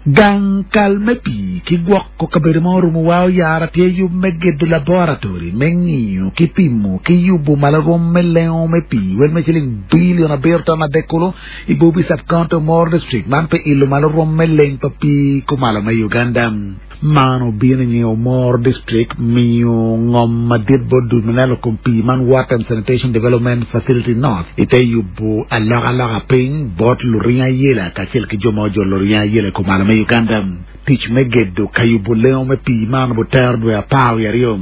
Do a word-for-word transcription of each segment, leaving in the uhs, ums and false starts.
Gang kal me pii ki gwoko kabedo ma orumo wa oyara tye yub me gedo laboratory me ng'iyo ki pimo ki yubo malo rwom me lengo me pii wel me ciling bilion abiro ton adek kulu i Bubi Sub-County Omoro District man pe ilo malo rwom me leng pa pii kumalo me Uganda man obino i Omoro District miyo ngom madit bot dul maneno kom pii man Water and Sanitation Development Facility North ite yubo alokaloka piny bot luring ayela kacel ki jo ma ojolo luring ayela kumalo me Uganda tic me gedo ka yubo lengo me pii man obutero dwe apar wiye aryo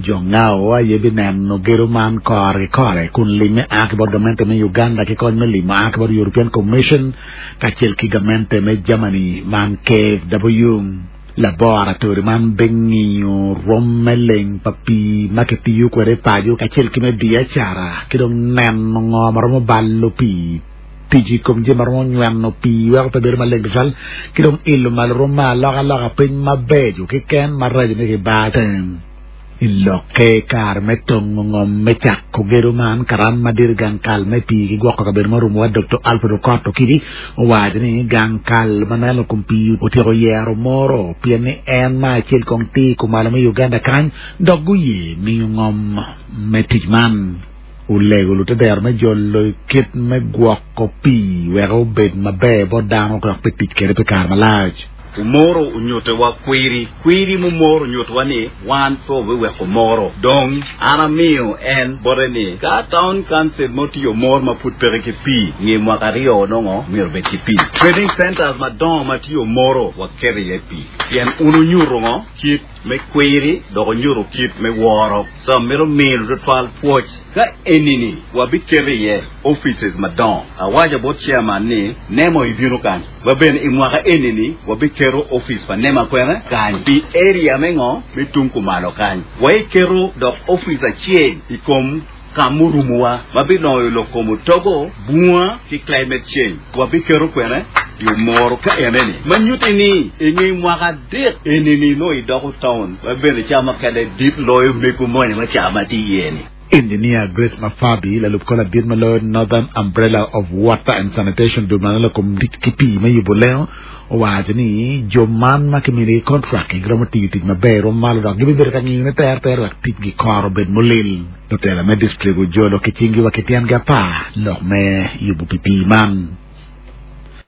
jo ngao aye bineno gedo man kore ki kore kun lime a ki bot gamente me Uganda ki kony me limo a ki bot European Commission kacel ki gamente me Germany man KfW laboratory man bing'iyo rwom me leng pa pii ma kitiyo kwede paco kacel ki me biacara ki dong neno ngo ma romo balo pii tic i kom jami ma romo nyweno pii weko pe bedo maleng tutwal ki dong ilo malo rwom me alokaloka piny mabeco keken maraco ni kibar i lokke kare me tongo ngom me cako gedo man karan madit gang kal me pii ki gwoko kabedo ma orumowa Dr. Alfred Okot Okidi owaco ni gang kal ma neno kom pii otyeko yero moro pien ni en ma acel kong tye kumalo me Uganda kany dok guye miyo ngom me tic man olego lutedero me jolo kit me gwoko pii wek obed maber bot dano dok pi tic kede pi kare malac Omoro onyutowa kwiri kwiri mumoro onyutowa ni wan pe wabiweko Omoro dong an amiyo en bote ni ka town council mo tye Omoro ma pud peke ki pii nge mwaka aryo nongo myero obed ki pii trading centers madongo ma tye Omoro waketo iye pii pien un onyuto ngo kit me kwiri dok onyuto kit me woro so mito miyo tutwal pwoc ka enini wabiketo iye offices madongo awaco bot chairman ni nemo ibino kany wabene i mwaka enini wabiketo office pa nema kwene kany pi area me ngo me tung kumalo kany waiketo dok office acel i kom ka murumowa mabiloyo lok kom otogo bunga ki climate change wabiketo kwene i Omoro ka eneni ma nyuti ni i nge mwaka adek enini no idoko town wabene ca makene dit loyo mego moni ma ca ma tye iye ni Engineer Grace Mafabi lalub kor ladit ma loyo Northern Umbrella of Water and Sanitation dul maneno kom tic ki pii me yubo lengo owaco ni jo man ma kiminigi contract giromo tiyo tic maber rwom malo dok gibibedo ka ngiyone terter wek ticgi kore obed molil lutela me district ojolo ki cinggi wa ki tyengi apar lok me yubo pi pii man